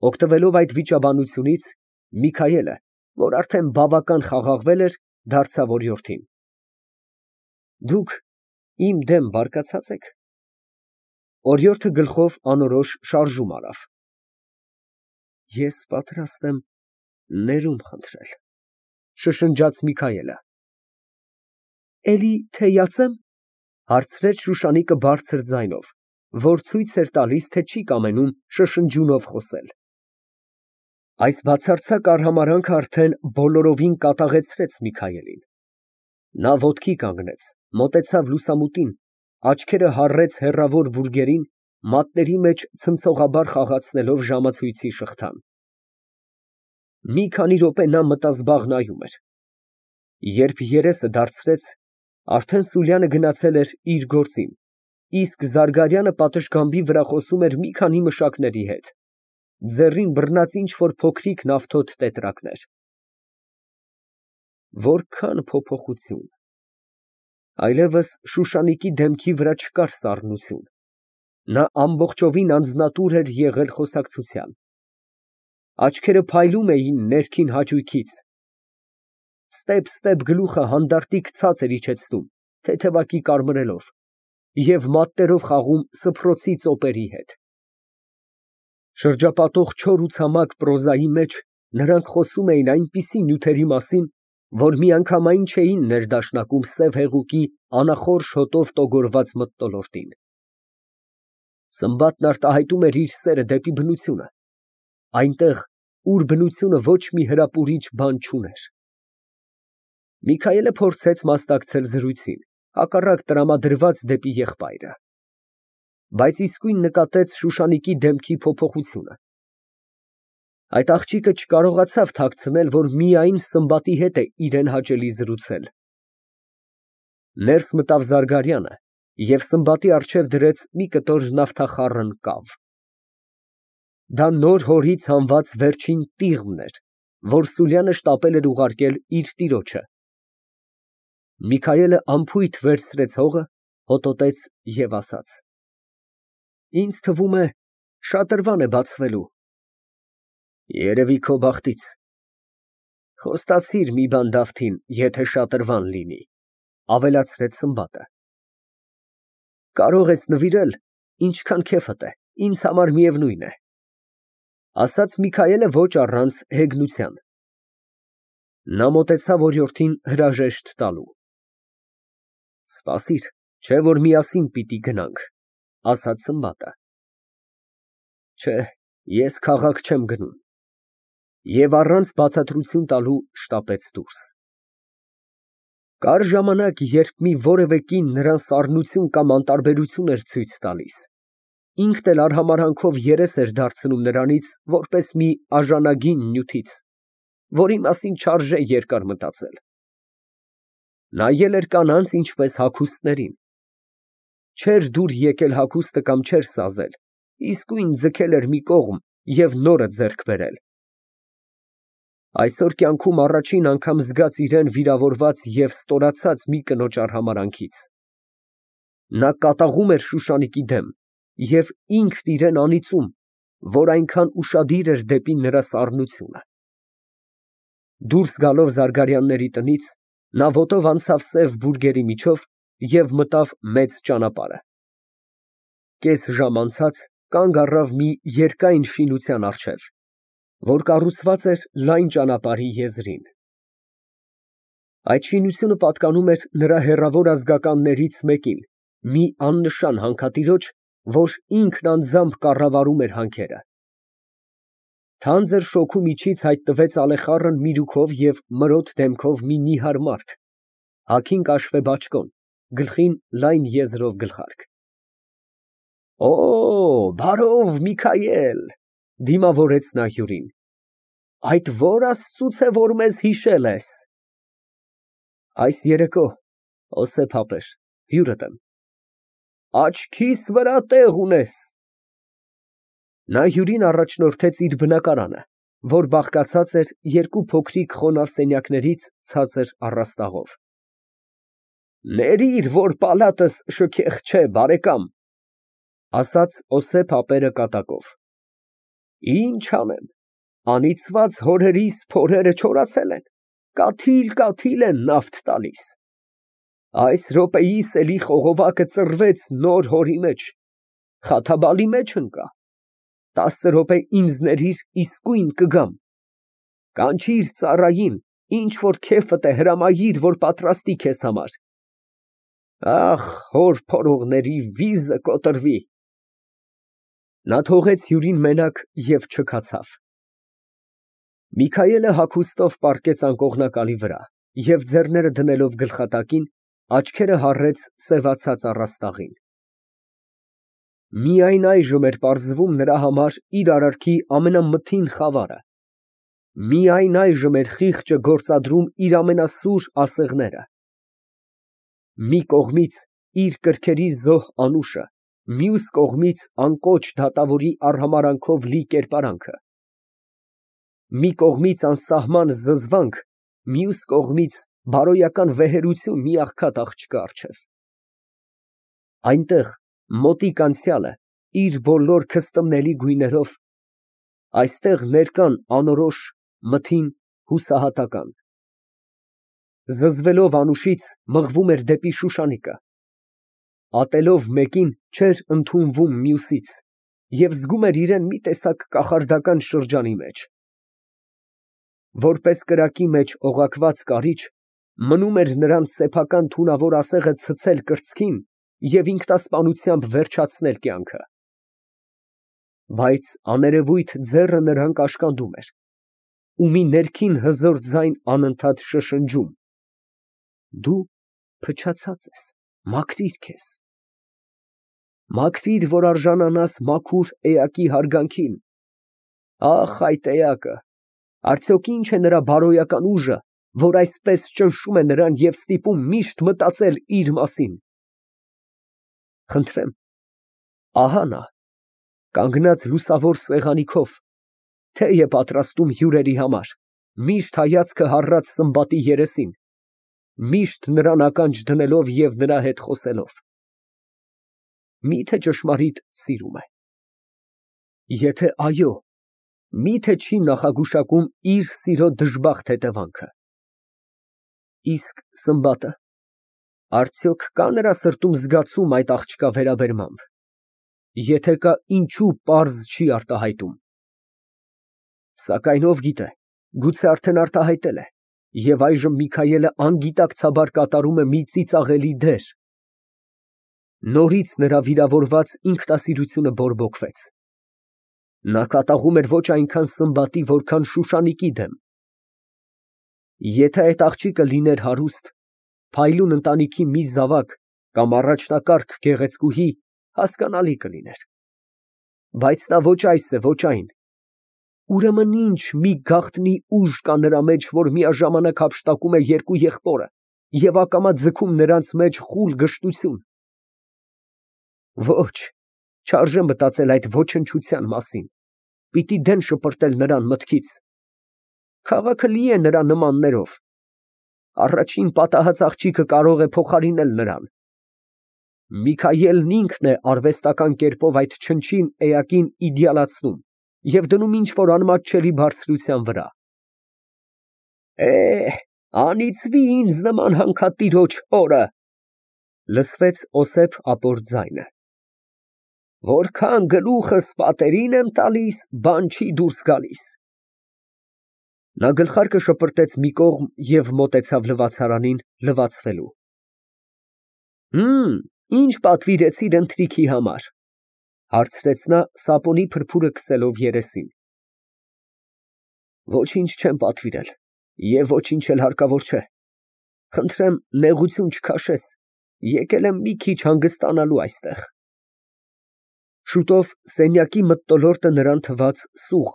Օգտվելով այդ վիճաբանությունից, Միքայելը, որ արդեն բավական խաղաղվել էր, դարձավ օրիորդին. Դուք իմ դեմ բարկացած եք։ Օրիորդը գլխով անորոշ շարժում արավ։ Ես պատրաստ եմ ներում խնդրել, շշնջաց Միքայելը։ Էլի թեյացե՞մ, հարցրեց Շուշանիկը բարձր ձայնով, որ ցույց էր տալիս, թե չի կամենում շշնջյունով խոսել։ Այս բացարձակ արհամարհանքը արդեն բոլորովին կատաղեցրեց Միքայելին։ Նա ոտքի կանգնեց, մոտեցավ լուսամուտին, աչքերը հառեց հեռավոր բուրգերին, մատների մեջ ցնցողաբար խաղացնելով ժամացույցի շղթան։ Մի քանի րոպե նա մտազբաղ նայում էր։ Երբ երեսը դարձրեց, արդեն Սուրյանը գնացել էր իր գործին, իսկ Զարգարյանը պատշգամբի վրա խոսում էր մի քանի մշակների հետ, ձեռին բռնած ինչ֊որ փոքրիկ նավթոտ տետրակներ։ Որքան փոփոխություն։ Այլևս Շուշանիկի դեմքի վրա չկար սառնություն, նա ամբողջովին անձնատուր էր եղել խոսակցության։ Աչքերը փայլում էին ներքին հաճույքից, ստեպ գլուխը հանդարտիկ ցած էր իջեցնում, թեթևակի կարմրելով, և մատներով խաղում սփռոցի ծոպերի հետ։ Շրջապատող չոր ու ցամաք պրոզայի մեջ նրանք խոսում էին այնպիսի նյութերի մասին, որ միանգամայն չէին ներդաշնակում սև հեղուկի անախորժ հոտով տոգորված մթնոլորտին։ Սմբատն արտահայտում էր իր սերը դեպի բնությունը, այնտեղ, ուր բնությունը ոչ մի հրապուրիչ բան չուներ։ Միքայելը փորձեց մասնակցել զրույցին, հակառակ տրամադրված դեպի եղբայրը, բայց իսկույն նկատեց Շուշանիկի դեմքի փոփոխությունը։ Այդ աղջիկը չկարողացավ թաքցնել, որ միայն Սմբատի հետ է իրան հաճելի զրուցել։ Ներս մտավ Զարգարյանը և Սմբատի առջև դրեց մի կտոր նավթախառն կավ։ Դա նոր հորից հանված վերջին տիղմն էր, որ Սուրյանը շտապել էր ուղարկել իր տիրոջը։ Միքայելը անփույթ վերցրեց հողը, հոտոտեց և ասաց. Ինձ թվում է, շատրվան է բացվելու։ Երևի քո բախտից։ Խոստացիր մի բան Դավթին, եթե շատրվան լինի, ավելացրեց Սմբատը։ Կարող ես նվիրել, ինչքան քեֆդ է, ինձ համար միևնույն է, ասաց Միքայելը ոչ առանց հեգնության։ Նա մոտեցավ օրիորդին հրաժեշտ տալու։ Սպասիր, չէ որ միասին պիտի գնանք, ասաց Սմբատը։ Չէ, ես քաղաք չեմ գնում։ Եվ առանց բացատրություն տալու շտապեց դուրս։ Կար ժամանակ, երբ մի որևէ կին նրան սառնություն կամ անտարբերություն էր ցույց տալիս, ինքն էլ արհամարհանքով երես էր դարձնում նրանից, որպես մի արժանագին նյութից, որի մասին չարժե երկար մտածել։ Նայել էր կանանց ինչպես հագուստներին։ Չէր դուր եկել հագուստը կամ չէր սազել, իսկույն ձգել էր մի կողմ և նորը ձեռք բերել։ Այսօր կյանքում առաջին անգամ զգաց իրան վիրավորված և ստորացած մի կնոջ արհամարհանքից։ Նա կատաղում էր Շուշանիկի դեմ և ինքն իրան անիծում, որ այնքան ուշադիր էր դեպի նրա սառնությունը։ Դուրս գալով Զարգարյանների տնից, նա ոտով անցավ սև բուրգերի միջով և մտավ մեծ ճանապարհը։ Կես ժամ անցած կանգ առավ մի երկայն շինության առջև, որ կառուցված էր լայն ճանապարհի եզրին։ Այդ շինությունը պատկանում էր նրա հեռավոր ազգականներից մեկին, մի աննշան հանքատիրոջ, որ ինքն անձամբ կառավարում էր հանքերը։ Թանձր շոգու միջից հայտնվեց ալեխառն միրուքով և մրոտ դեմքով մի նիհար մարդ, հագին կաշվե բաճկոն, գլխին լայն եզրով գլխարկ։ Օ, բարով, Միքայել, դիմավորեց նա հյուրին, այդ ո՞ր աստծուց է, որ մեզ հիշել ես։ Այս երեկո, Օսեփ ապեր, հյուրդ եմ։ Աչքիս վրա տեղ ունես։ Նա հյուրին առաջնորդեց իր բնակարանը, որ բաղկացած էր երկու փոքրիկ խոնավ սենյակներից ցածր առաստաղով։ Ներիր, որ պալատս շքեղ չէ, բարեկամ, ասաց Օսեփ ապերը կատակով։ Ինչ անեմ, անիծված հորերիս փորերը չորացել են, կաթիլ են նավթ տալիս։ Այս րոպեիս էլի խողովակը ծռվեց նոր հորի մեջ, խաթաբալի մեջ ընկա, 10 րոպե ինձ ներիր, իսկույն կգամ։ Կանչիր ծառային, ինչ որ քեֆդ է հրամայիր, որ պատրաստի քեզ համար։ Ախ, հոր փորողների վիզը կոտրվի։ Նա թողեց հյուրին մենակ և չքացավ։ Միքայելը հագուստով պառկեց անկողնակալի վրա և ձեռները դնելով գլխատակին, աչքերը հառեց սևացած առաստաղին։ Միայն այժմ էր պարզվում նրա համար իր արարքի ամենամթին խավարը, միայն այժմ էր խիղճը գործադրում իր ամենասուր ասեղները։ Մի կողմից իր կրքերի զոհ անուշը, մյուս կողմից անկոչ դատավորի արհամարհանքով լի կերպարանքը, մի կողմից անսահման զզվանք, մյուս կողմից բարոյական վեհերություն մի աղքատ աղջկա առջև։ Այնտեղ մոտիկ անցյալը իր բոլոր քստմնելի գույներով, այստեղ ներկան անորոշ, մթին, հուսահատական։ Զզվելով անուշից մղվում էր դեպի Շուշանիկը, ատելով մեկին չէր ընդունվում մյուսից և զգում էր իրան մի տեսակ կախարդական շրջանի մեջ։ Որպես կրակի մեջ օղակված կարիճ, մնում էր նրան սեփական թունավոր ասեղը ցցել կրծքին և ինքնասպանությամբ վերջացնել կյանքը։ Բայց աներևույթ ձեռը նրան կաշկանդում էր, ու մի ներքին հզոր ձայն անընդհատ շշնջում. «Դու փչացած ես, մաքրիր քեզ, մաքրիր, որ արժանանաս մաքուր էակի հարգանքին»։ Ահ, այդ էակը, արդյոք ի՞նչ է նրա բարոյական ուժը, որ այսպես ճնշում է նրան և ստիպում միշտ մտածել իր մասին։ Խնդրեմ, ահա նա, կանգնած լուսավոր սեղանի քով, թեյ է պատրաստում հյուրերի համար, միշտ հայացքը հառած Սմբատի երեսին, միշտ նրան ականջ դնելով և նրա հետ խոսելով։ Մի՞թե ճշմարիտ սիրում է։ Եթե այո, մի՞թե չի նախագուշակում իր սիրո դժբախտ հետևանքը։ Իսկ Սմբատը, արդյոք կա նրա սրտում զգացում այդ աղջկա վերաբերմամբ։ Եթե կա, ինչո՞ւ պարզ չի արտահայտում։ Սակայն ով գիտե, գուցե արդեն արտահայտել է, և այժմ Միքայելը անգիտակցաբար կատարում է մի ծիծաղելի դեր։ Նորից նրա վիրավորված ինքնասիրությունը բորբոքվեց։ Նա կատաղում էր ոչ այնքան Սմբատի, որքան Շուշանիկի դեմ։ Եթե այդ աղջիկը լիներ հարուստ, փայլուն ընտանիքի մի զավակ կամ առաջնակարգ գեղեցկուհի, հասկանալի կլիներ։ Բայց նա ոչ այս է, ոչ այն։ Ուրեմն ինչ մի գաղտնի ուժ կա նրա մեջ, որ միաժամանակ հափշտակում է երկու եղբորը և ակամա ձգում նրանց մեջ խուլ գժտություն։ Ոչ, չարժե մտածել այդ ոչնչության մասին, պիտի դեն շպրտել նրան մտքից։ Քաղաքը լի է նրա նմաններով։ Առաջին պատահած աղջիկը կարող է փոխարինել նրան։ Միքայելն ինքն է արվեստական կերպով այդ չնչին էակին իդեալացնում և դնում ինչ֊որ անմատչելի բարձրության վրա։ Անիծվի ինձ նման հանքատիրոջ օրը, լսվեց Օսեփ ապոր ձայնը։ Որքան գլուխս պատերին եմ տալիս, բան չի դուրս գալիս։ Նա գլխարկը շպրտեց մի կողմ և մոտեցավ լվացարանին լվացվելու։ Ի՞նչ պատվիրեցիր ընթրիքի համար, հարցրեց նա սապոնի փրփուրը քսելով երեսին։ Ոչինչ չեմ պատվիրել և ոչինչ էլ հարկավոր չէ։ Խնդրեմ, նեղություն չքաշես, եկել եմ մի քիչ հանգստանալու այստեղ։ Շուտով սենյակի մթնոլորտը նրան թվաց սուղ,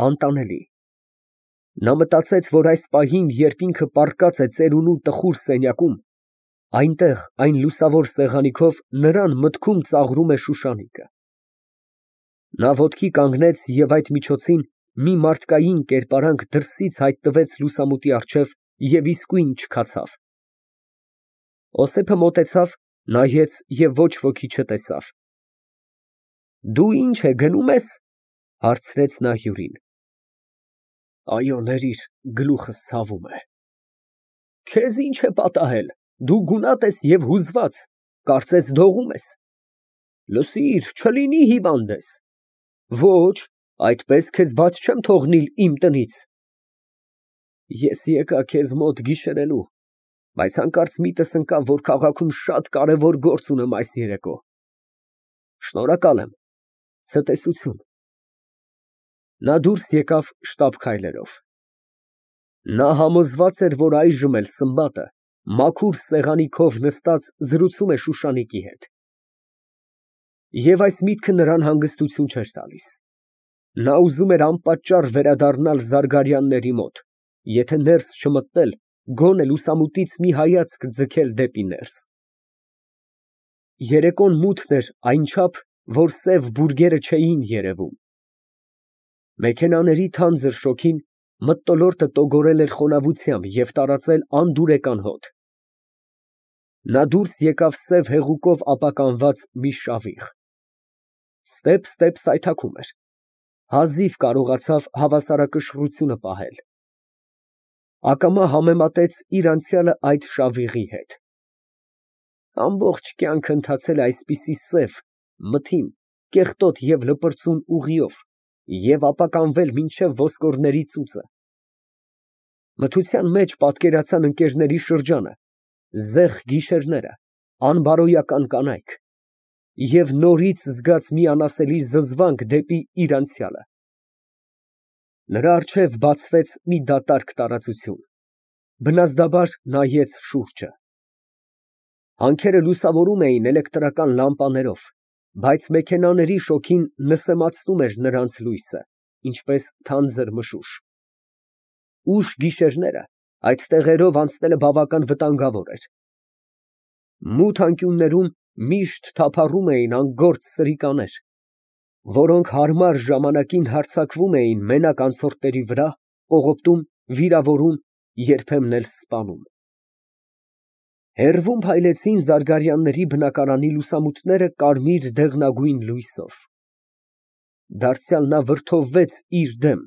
անտանելի։ Նա մտածեց, որ այս պահին, երբ ինքը պառկած է ծերունու տխուր սենյակում, այնտեղ, այն լուսավոր սեղանի քով նրան մտքում ծաղրում է Շուշանիկը։ Նա ոտքի կանգնեց և այդ միջոցին մի մարդկային կերպարանք դրսից հայտնվեց լուսամուտի առջև և իսկույն չքացավ։ Օսեփը մոտեցավ, նայեց և ոչ ոքի չտեսավ։ Դու ինչ է գնում ես։ Հարցրեց նա հյուրին։ Այո, ներիր, գլուխս ցավում է։ Քեզ ինչ է պատահել, դու գունատ ես և հուզված, կարծես դողում ես։ Լսիր, չլինի հիվանդ ես։ Ոչ, այդպես քեզ բաց չեմ թողնիլ իմ տնից։ Ես եկա քեզ մոտ գիշերելու, բայց հանկարծ միտս ընկավ, որ քաղաքում շատ կարևոր գործ ունեմ այս երեկո։ Շնորհակալ եմ, ցտեսություն։ Նա դուրս եկավ շտապ քայլերով։ Նա համոզված էր, որ այժմ էլ Սմբատը մաքուր սեղանի քով նստած զրուցում է Շուշանիկի հետ։ Եվ այս միտքը նրան հանգստություն չէր տալիս։ Նա ուզում էր անպատճառ վերադառնալ Զարգարյանների մոտ, եթե ներս չմտնել, գոնե լուսամուտից մի հայացք ձգել դեպի ներս։ Երեկոն մութն էր այնչափ, որ սև բուրգերը չէին երևում։ Մեքենաների թանձր շոգին մթնոլորտը տոգորել էր խոնավությամբ և տարածել անդուրեկան հոտ։ Նա դուրս եկավ սև հեղուկով ապականված մի շավիղ։ Ստեպ սայթաքում էր։ Հազիվ կարողացավ հավասարակշռությունը պահել։ Ակամա համեմատեց իր անցյալը այդ շավիղի հետ։ Ամբողջ կյանքը ընթացել է այսպիսի սև, մթին, կեղտոտ և լպրծուն ուղիով և ապականվել մինչև ոսկորների ծուծը։ Մթության մեջ պատկերացան ընկերների շրջանը, զեղ գիշերները, անբարոյական կանայք և նորից զգաց մի անասելի զզվանք դեպի իր անցյալը։ Նրա առջև բացվեց մի դատարկ տարածություն։ Բնազդաբար նայեց շուրջը։ Հանքերը լուսավորում էին էլեկտրական լամպաներով, բայց մեքենաների շոգին նսեմացնում էր նրանց լույսը, ինչպես թանձր մշուշ։ Ուշ գիշերները այդ տեղերով անցնելը բավական վտանգավոր էր։ Մութ անկյուններում միշտ թափառում էին անգործ սրիկաներ, որոնք հարմար ժամանակին հարձակվում էին մենակ անցորդների վրա, կողոպտում, վիրավորում, երբեմն էլ սպանում։ Հեռվում փայլեցին Զարգարյանների բնակարանի լուսամուտները կարմիր դեղնագույն լույսով։ Դարձյալ նա վրդովվեց իր դեմ։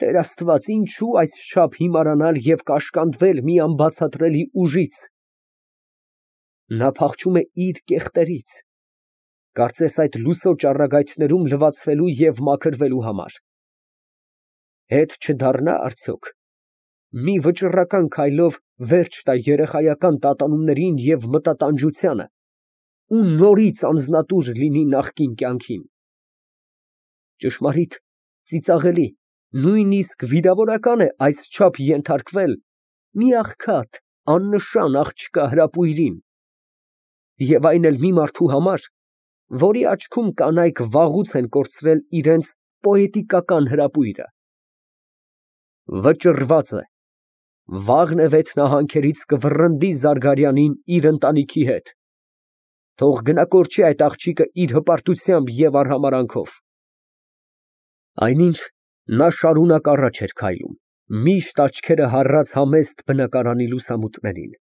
Տեր Աստված, ինչո՞ւ այսչափ հիմարանալ և կաշկանդվել մի անբացատրելի ուժից։ Նա փախչում է իր կեղտերից, կարծես այդ լուսո ճառագայթներում լվացվելու և մաքրվելու համար։ Հետ չդառնա՞ արդյոք, մի վճռական քայլով վերջ տա երեխայական տատանումներին և մտատանջությանը ու նորից անձնատուր լինի նախկին կյանքին։ Ճշմարիտ, ծիծաղելի, նույնիսկ վիրավորական է այսչափ ենթարկվել մի աղքատ, աննշան աղջկա հրապույրին, և այն էլ մի մարդու համար, որի աչքում կանայք վաղուց են կորցրել իրենց պոետիկական հրապույրը։ Վճռված է, վաղն է վեթնահանքերից կվռնդի Զարգարյանին իր ընտանիքի հետ, թող գնա կորչի այդ աղջիկը իր հպարտությամբ և արհամարհանքով։ Այնինչ նա շարունակ առաջ էր քայլում, միշտ աչքերը հառած համեստ բնակարանի լուսամուտներին։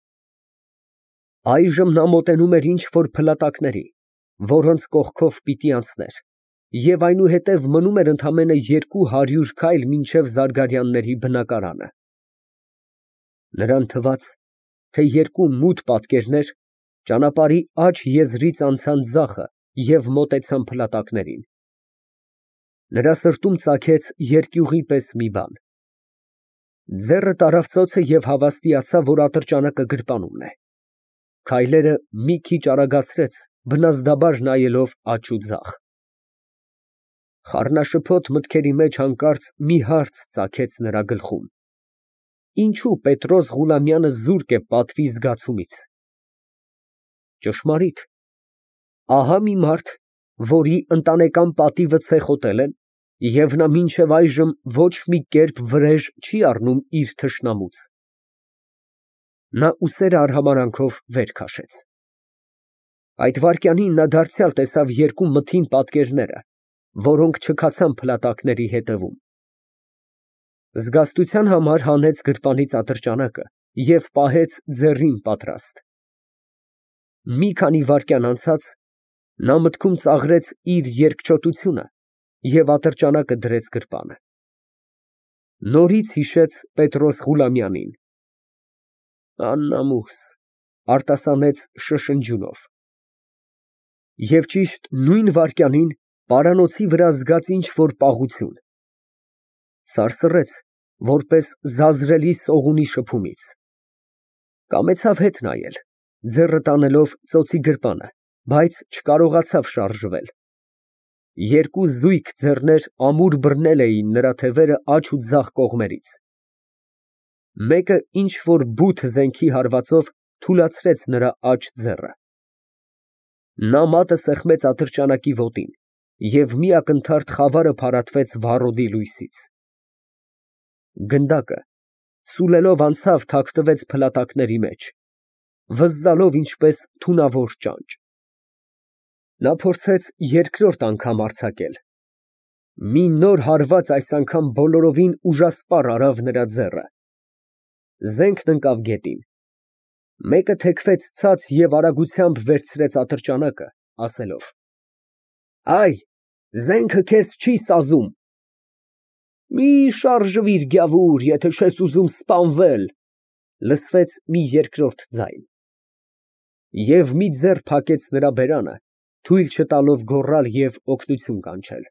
Այժմ նա մոտենում էր ինչ֊որ փլատակների, որոնց կողքով պիտի անցներ, և այնուհետև մնում էր ընդամենը 200 քայլ մինչև Զարգարյանների բնակարանը։ Նրան թվաց, թե երկու մութ պատկերներ ճանապարհի աջ եզրից անցան ձախը և մոտեցան փլատակներին։ Նրա սրտում ծագեց երկյուղի պես մի բան։ Ձեռը տարավ ծոցը և հավաստիացավ, որ ատրճանակը գրպանումն է։ Քայլերը մի քիչ արագացրեց, բնազդաբար նայելով աջ ու ձախ։ Խառնաշփոթ մտքերի մեջ հանկարծ մի հարց ծագեց նրա գլխում. ինչո՞ւ ՊետրոսՂուլամյանը զուրկ է պատվի զգացումից։ Ճշմարիտ, ահա մի մարդ, որի ընտանեկան պատիվը ցեխոտել են, և նա մինչև այժմ ոչ մի կերպ վրեժ չի առնում իր թշնամուց։ Նա ուսերը արհամարհանքով վեր քաշեց։ Այդ վայրկյանին նա դարձյալ տեսավ երկու մթին պատկերները, որոնք չքացան փլատակների ետևում։ Զգաստության համար հանեց գրպանից ատրճանակը և պահեց ձեռին պատրաստ։ Մի քանի վայրկյան անցած նա մտքում ծաղրեց իր երկչոտությունը և ատրճանակը դրեց գրպանը։ Նորից հիշեց Պետրոս Ղուլամյանին։ Աննամուս, արտասանեց շշնջյունով։ Եվ ճիշտ նույն վայրկյանին պարանոցի վրա զգաց ինչ֊որ պաղություն, սարսռեց, որպես զազրելի սողունի շփումից։ Կամեցավ հետ նայել, ձեռը տանելով ծոցի գրպանը, բայց չկարողացավ շարժվել։ Երկու զույգ ձեռներ ամուր բռնել էին նրա թևերը աջ ու ձախ կողմերից։ Մեկը ինչ֊որ բութ զենքի հարվածով թուլացրեց նրա աջ ձեռը։ Նա մատը սեղմեց ատրճանակի ոտին, և մի ակնթարթ խավարը փարատվեց վառոդի լույսից։ Գնդակը սուլելով անցավ թաքնվեց փլատակների մեջ, վզզալով ինչպես թունավոր ճանճ։ Նա փորձեց երկրորդ անգամ արձակել։ Մի նոր հարված այս անգամ բոլորովին ուժասպառ արավ նրա ձեռը։ Զենքն ընկավ գետին։ Մեկը թեքվեց ցած և արագությամբ վերցրեց ատրճանակը, ասելով. «Այ, զենքը քեզ չի սազում»։ «Մի շարժվիր, գյավուր, եթե չես ուզում սպանվել», լսվեց մի երկրորդ ձայն։ Եվ մի ձեռ փակեց նրա բերանը, թույլ չտալով գոռալ և օգնություն կանչել։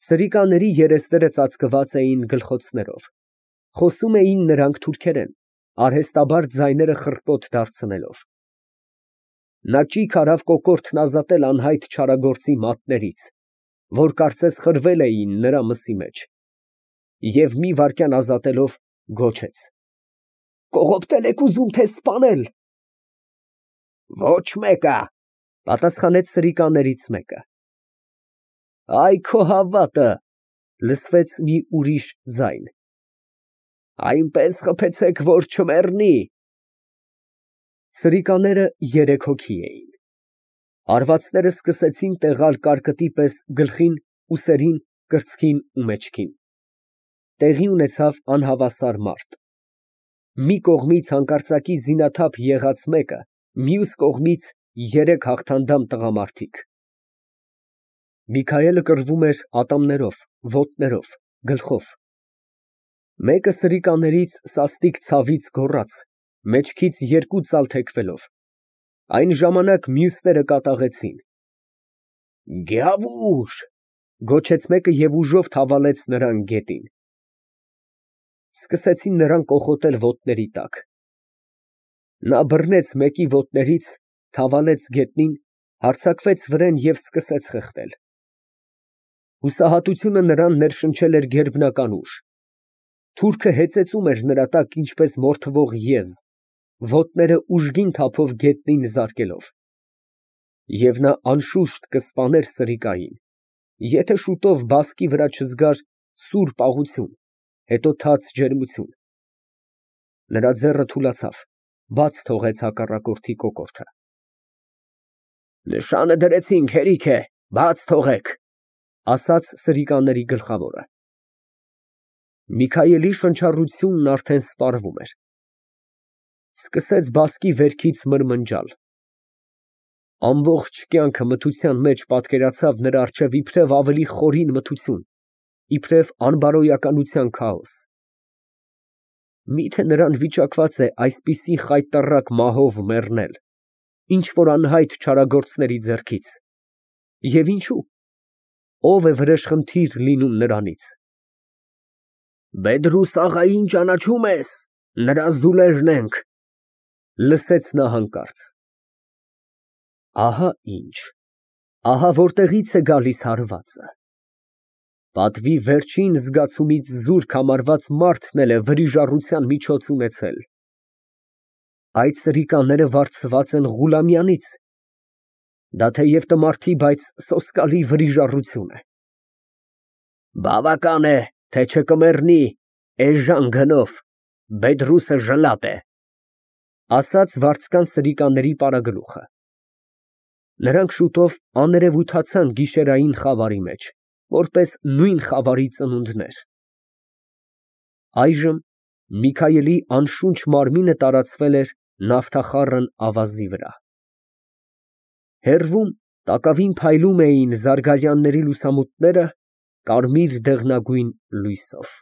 Սրիկաների երեսները ծածկված էին գլխոցներով, խոսում էին նրանք թուրքերեն, արհեստաբար ձայները խռպոտ դարձնելով։ Նա ճիգ արավ կոկորդն ազատել անհայտ չարագործի մատներից, որ կարծես խրվել էին նրա մսի մեջ, և մի վայրկյան ազատելով, գոչեց. «Կողոպտել եք ուզում, թե սպանել»։ «Ոչ մեկը», պատասխանեց սրիկաներից մեկը։ «Այ քո հավատը», լսվեց մի ուրիշ ձայն։ «Այնպես խփեցեք, որ չմեռնի»։ Սրիկաները երեք հոգի էին։ Հարվածները սկսեցին տեղալ կարկտի պես գլխին, ուսերին, կրծքին ու մեջքին։ Տեղի ունեցավ անհավասար մարդ։ Մի կողմից հանկարծակի զինաթափ եղած մեկը, մյուս կողմից երեք հաղթանդամ տղամարդիկ։ Միքայելը կռվում էր ատամներով, ոտներով, գլխով։ Մեկը սրիկաներից սաստիկ ցավից գոռաց, մեջքից երկու ծալ թեքվելով։ Այն ժամանակ մյուսները կատաղեցին։ «Գյավուր», գոչեց մեկը և ուժով թավալեց նրան գետին։ Սկսեցին նրան կոխոտել ոտների տակ։ Նա բռնեց մեկի ոտներից, թավալեց գետնին, հարձակվեց վրեն և սկսեց խեղդել։ Հուսահատությունը նրան ներշնչել էր գերբնական ուժ։ Թուրքը հեծեծում էր նրա տակ ինչպես մորթվող եզ, ոտները ուժգին թափով գետնին զարկելով։ Եվ նա անշուշտ կսպաներ սրիկային, եթե շուտով բասկի վրա չզգար սուր պաղություն, հետո թաց ջերմություն։ Նրա ձեռը թուլացավ, բաց թողեց հակառակորդի կոկորդը։ «Նշանը դրեցինք, հերիք է, բաց թողեք», ասաց սրիկաների գլխավորը։ Միքայելի շնչառությունն արդեն սպառվում էր։ Սկսեց բասկի վերքից մրմնջալ։ Ամբողջ կյանքը մթության մեջ պատկերացավ նրա առջև իբրև ավելի խորին մթություն, իբրև անբարոյականության քաոս։ Միթե նրան վիճակված է այսպիսի խայտառակ մահով մեռնել, ինչ֊որ անհայտ չարագործների ձեռքից, և ինչո՞ւ, ո՞վ է վրեժխնդիր լինում նրանից։ «Բեդրուս աղային ճանաչո՞ւմ ես, նրա զուլերն ենք», լսեց նա հանկարծ։ Ահա ինչ, ահա որտեղից է գալիս հարվածը։ Պատվի վերջին զգացումից զուրկ համարված մարդն էլ է վրիժառության միջոց ունեցել։ Այդ սրիկաները վարձված են Ղուլամյանից։ Դա թեև տմարդի, բայց սոսկալի վրիժառություն է։ Բավական է, թե չկմեռնի, էժան գնով, Բեդրուսը ժլատ է, ասաց վարձկան սրիկաների պարագլուխը։ Նրանք շուտով աներևութացան գիշերային խավարի մեջ, որպես նույն խավարի ծնունդներ։ Այժմ Միքայելի անշունչ մարմինը տարածվել էր նավթախառն ավազի վրա։ Հեռվում Տակավին փայլում էին զարգարյանների լուսամուտները կարմիր դեղնագույն լույսով։